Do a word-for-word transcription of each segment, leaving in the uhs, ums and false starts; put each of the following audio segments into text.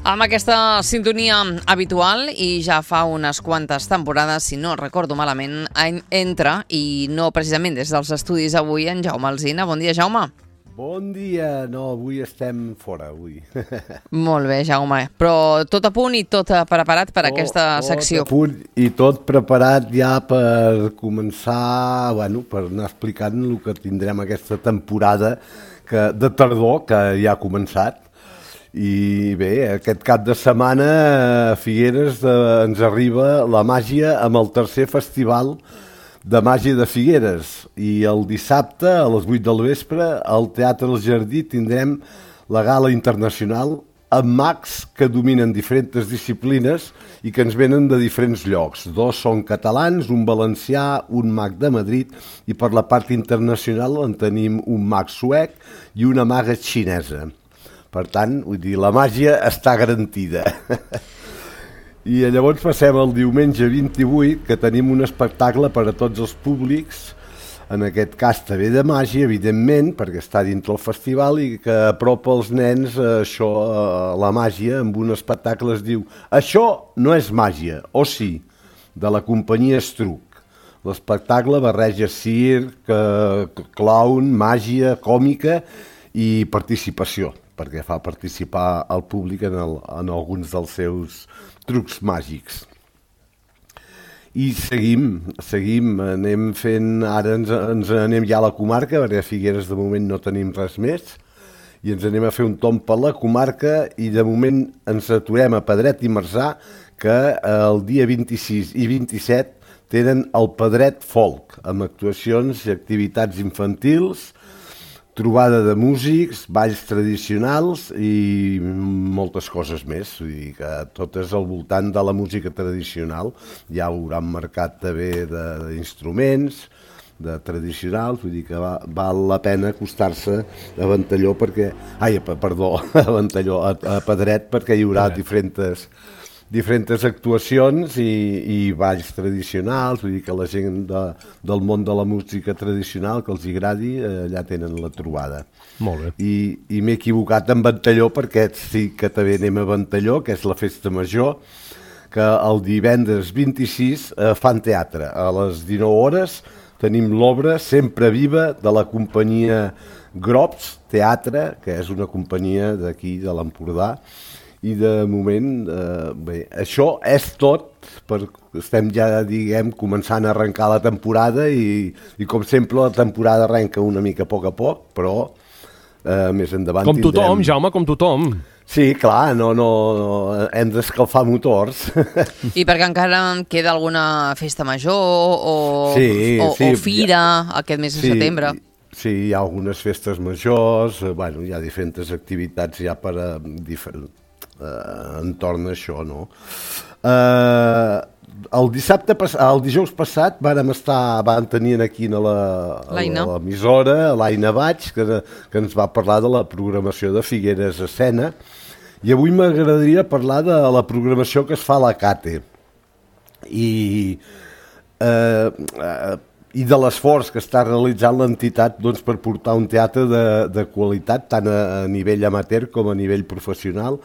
Amb aquesta sintonia habitual i ja fa unes quantes temporades, si no recordo malament, entra, i no precisament des dels estudis avui, en Jaume Alsina. Bon dia, Jaume. Bon dia. No, avui estem fora, avui. Molt bé, Jaume. Però tot a punt i tot preparat per tot, aquesta secció. Tot a punt i tot preparat ja per començar, bueno, per anar explicant el que tindrem aquesta temporada que, de tardor, que ja ha començat. I bé, aquest cap de setmana a Figueres eh, ens arriba la màgia amb el tercer festival de màgia de Figueres. I el dissabte a les vuit del vespre al Teatre del Jardí tindrem la gala internacional amb mags que dominen diferents disciplines i que ens venen de diferents llocs. Dos són catalans, un valencià, un mag de Madrid, i per la part internacional en tenim un mag suec i una maga xinesa. Per tant, vull dir, la màgia està garantida. I llavors passem al diumenge vint-i-vuit, que tenim un espectacle per a tots els públics, en aquest cas també de màgia, evidentment, perquè està dintre el festival i que apropa els nens a això, a la màgia, amb un espectacle es diu "Això no és màgia", o sí, de la companyia Estruc. L'espectacle barreja circ, clown, màgia, còmica i participació, perquè fa participar el públic en, el, en alguns dels seus trucs màgics. I seguim, seguim, anem fent, ara ens, ens anem ja a la comarca, perquè a Figueres de moment no tenim res més, i ens anem a fer un tomb per la comarca, i de moment ens aturem a Pedret i Marzà, que el dia vint-i-sis i vint-i-set tenen el Pedret Folk, amb actuacions i activitats infantils, trobada de músics, balls tradicionals i moltes coses més. Vull dir que totes al voltant de la música tradicional. Ja ho hauran marcat també d'instruments, de tradicionals, vull dir que va, val la pena acostar-se a Ventalló perquè... Ai, perdó, a Ventalló, a, a Pedret, perquè hi haurà diferents... diferents actuacions i, i balls tradicionals, vull dir que la gent de, del món de la música tradicional que els agradi, allà tenen la trobada. Molt bé. I, i m'he equivocat en Ventalló perquè sí que també anem a Ventalló, que és la festa major, que el divendres vint-i-sis eh, fan teatre. A les dinou hores tenim l'obra Sempre Viva de la companyia Grops Teatre, que és una companyia d'aquí, de l'Empordà. I de moment, eh, bé, això és tot, per, estem ja, diguem, començant a arrencar la temporada i, i com sempre la temporada arrenca una mica a poc a poc, però eh, més endavant com tothom, tindrem... Jaume, com tothom. Sí, clar, no, no, no hem d'escalfar motors. I perquè encara queda alguna festa major o, sí, o, sí, o fira ja, aquest mes de sí, setembre? Sí, hi ha algunes festes majors, bueno, hi ha diferents activitats ja per a diferents... Uh, entorn a això, no? Uh, el dissabte, el dijous passat vàrem estar, van tenir aquí a l'emissora, a l'Aina Baig, que, que ens va parlar de la programació de Figueres a Escena, i avui m'agradaria parlar de la programació que es fa a la Cate i uh, uh, i de l'esforç que està realitzant l'entitat doncs, per portar un teatre de, de qualitat tant a, a nivell amateur com a nivell professional,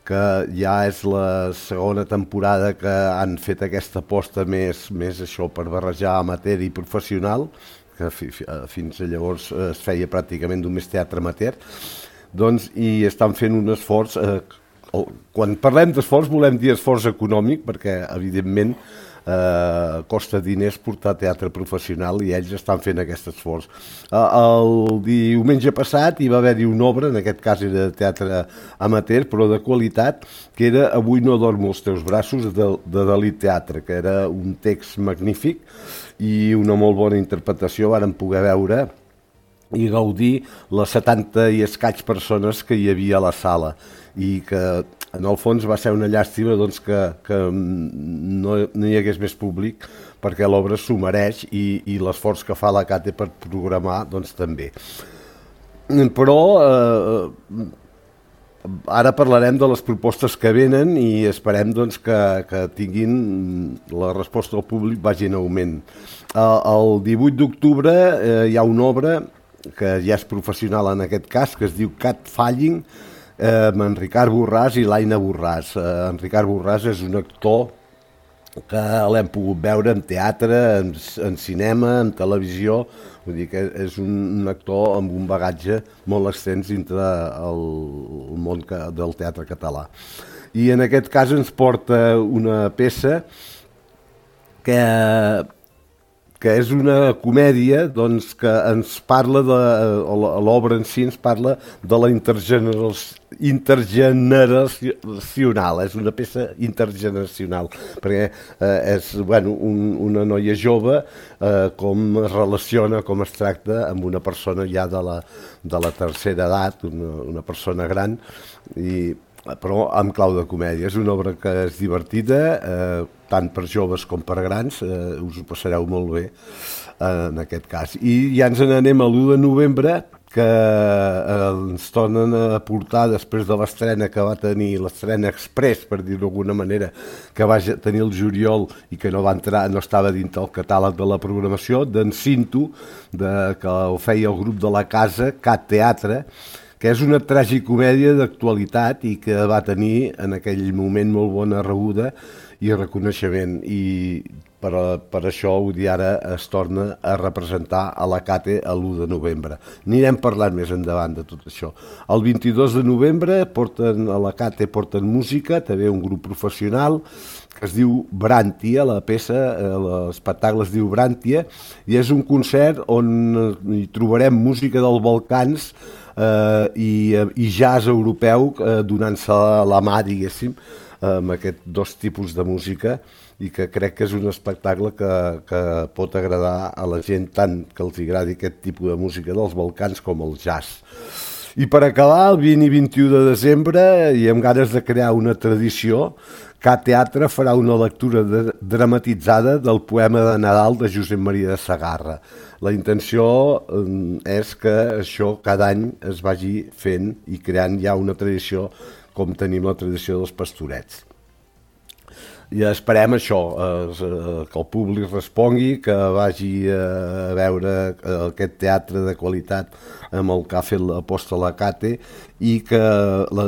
que ja és la segona temporada que han fet aquesta aposta més, més això per barrejar amateur i professional, que fi, fins a llavors es feia pràcticament només teatre amateur, doncs, i estan fent un esforç, eh, quan parlem d'esforç volem dir esforç econòmic, perquè evidentment eh, costa diners portar teatre professional i ells estan fent aquest esforç. Eh, el diumenge passat hi va haver-hi una obra, en aquest cas era de teatre amateur, però de qualitat, que era Avui no dormo als teus braços, de, de Dalí Teatre, que era un text magnífic i una molt bona interpretació. Vàrem poder veure i gaudir les setanta i escaig persones que hi havia a la sala i que en el fons va ser una llàstima doncs, que, que no, no hi hagués més públic perquè l'obra s'ho mereix i, i l'esforç que fa la Cate per programar doncs, també. Però eh, ara parlarem de les propostes que venen i esperem doncs, que, que tinguin la resposta del públic vagi en augment. Eh, el divuit d'octubre eh, hi ha una obra que ja és professional en aquest cas, que es diu Cat Falling, eh, amb en Ricard Borràs i l'Aina Borràs. Eh, en Ricard Borràs és un actor que l'hem pogut veure en teatre, en, en cinema, en televisió, vull dir que és un, un actor amb un bagatge molt extens dintre el, el món que, del teatre català. I en aquest cas ens porta una peça que, que és una comèdia doncs, que ens parla de, l'obra en si ens parla de la intergeneració intergeneracional, és una peça intergeneracional, perquè eh, és bueno, un, una noia jove, eh, com es relaciona, com es tracta amb una persona ja de la, de la tercera edat, una, una persona gran, i, però amb clau de comèdia. És una obra que és divertida, eh, tant per joves com per grans, eh, us ho passareu molt bé eh, en aquest cas. I ja ens n'anem a l'u de novembre, que eh, ens tornen a portar després de l'estrena que va tenir, l'estrena express, per dir-ho d'alguna manera, que va tenir el juliol i que no va entrar, no estava dintre el catàleg de la programació, d'en Cinto, de, que ho feia el grup de la casa, Cat Teatre, que és una tragicomèdia d'actualitat i que va tenir en aquell moment molt bona rebuda i reconeixement, i per, per això vull dir, ara es torna a representar a la Cate l'u de novembre. Anirem parlant més endavant de tot això. El vint-i-dos de novembre porten, a la Cate porten música, també un grup professional que es diu Bràntia, la peça, l'espectacle es diu Bràntia, i és un concert on hi trobarem música dels Balcans eh, i, i jazz europeu eh, donant-se la mà, diguéssim, amb aquests dos tipus de música, i que crec que és un espectacle que, que pot agradar a la gent tant que els agradi aquest tipus de música dels Balcans com el jazz. I per acabar, el vint i vint-i-u de desembre, i amb ganes de crear una tradició, Cat Teatre farà una lectura de, dramatitzada del poema de Nadal de Josep Maria de Sagarra. La intenció eh, és que això cada any es vagi fent i creant ja una tradició com tenim la tradició dels Pastorets. I esperem això, eh, que el públic respongui, que vagi a veure aquest teatre de qualitat amb el que ha fet l'aposta a la Cate, i que la,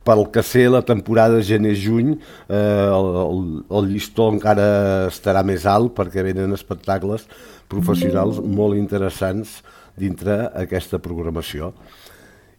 pel que sé la temporada gener-juny eh, el, el, el llistó encara estarà més alt, perquè venen espectacles professionals molt interessants dintre aquesta programació.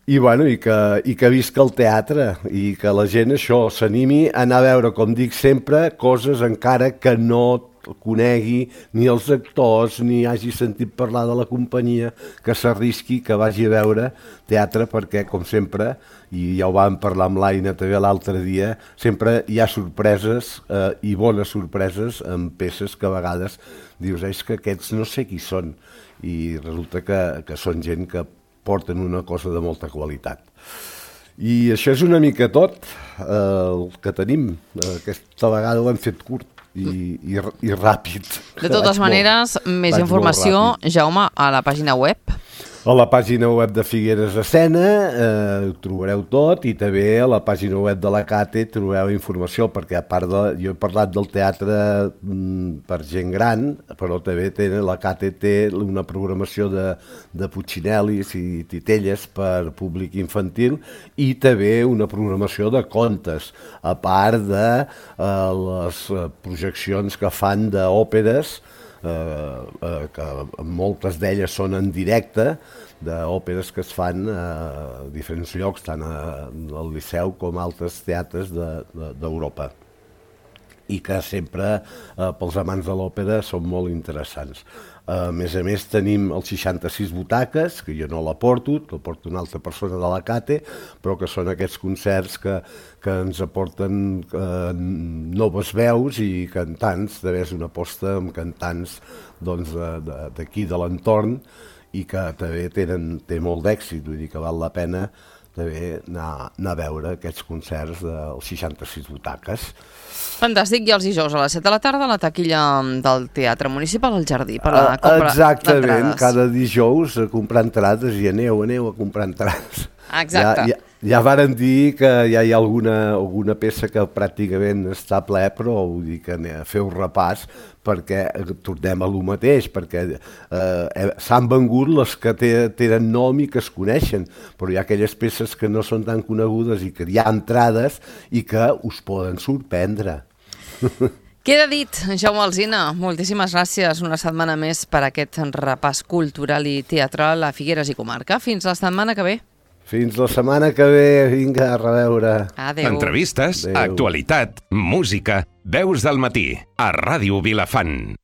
I, bueno, i, que, i que visca el teatre, i que la gent això s'animi a anar a veure, com dic sempre, coses encara que no conegui ni els actors ni hagi sentit parlar de la companyia, que s'arrisqui, que vagi a veure teatre, perquè, com sempre, i ja ho vam parlar amb l'Aina també l'altre dia, sempre hi ha sorpreses eh, i bones sorpreses amb peces que a vegades dius, és que aquests no sé qui són, i resulta que, que són gent que porten una cosa de molta qualitat. I això és una mica tot eh, el que tenim. Aquesta vegada ho hem fet curt i, i, i ràpid. De totes maneres, molt, més informació, Jaume, a la pàgina web. A la pàgina web de Figueres Escena eh, ho trobareu tot, i també a la pàgina web de la Cate trobeu informació, perquè a part de... Jo he parlat del teatre mm, per gent gran, però també té, la Cate té una programació de, de Puccinellis i titelles per públic infantil, i també una programació de contes, a part de eh, les projeccions que fan d'òperes, Eh, eh, que moltes d'elles són en directe, d'òperes que es fan a diferents llocs, tant al Liceu com a altres teatres d'Europa, i que sempre eh, pels amants de l'òpera són molt interessants. A més a més tenim els seixanta-sis butaques, que jo no la porto, la porta una altra persona de la Cate, però que són aquests concerts que, que ens aporten eh, noves veus i cantants, també és una aposta amb cantants doncs, d'aquí, de, de, de l'entorn, i que també tenen, té molt d'èxit, vull dir que val la pena també anar, anar a veure aquests concerts dels seixanta-sis butaques. Fantàstic, i els dijous a les set de la tarda a la taquilla del Teatre Municipal al Jardí per la compra d'entrades. Exactament, cada dijous a comprar entrades, i aneu, aneu a comprar entrades. Exacte. Ja, ja, Ja varen dir que ja hi ha alguna, alguna peça que pràcticament està ple, però vull dir que feu repàs perquè tornem a lo mateix, perquè eh, s'han vengut les que tenen nom i que es coneixen, però hi ha aquelles peces que no són tan conegudes i que hi ha entrades i que us poden sorprendre. Queda dit, Jaume Alsina, moltíssimes gràcies una setmana més per aquest repàs cultural i teatral a Figueres i comarca. Fins la setmana que ve. Fins la setmana que ve, vinga, a reveure. Adéu. Entrevistes, Adéu. actualitat, música, veus del matí, a Ràdio Vilafant.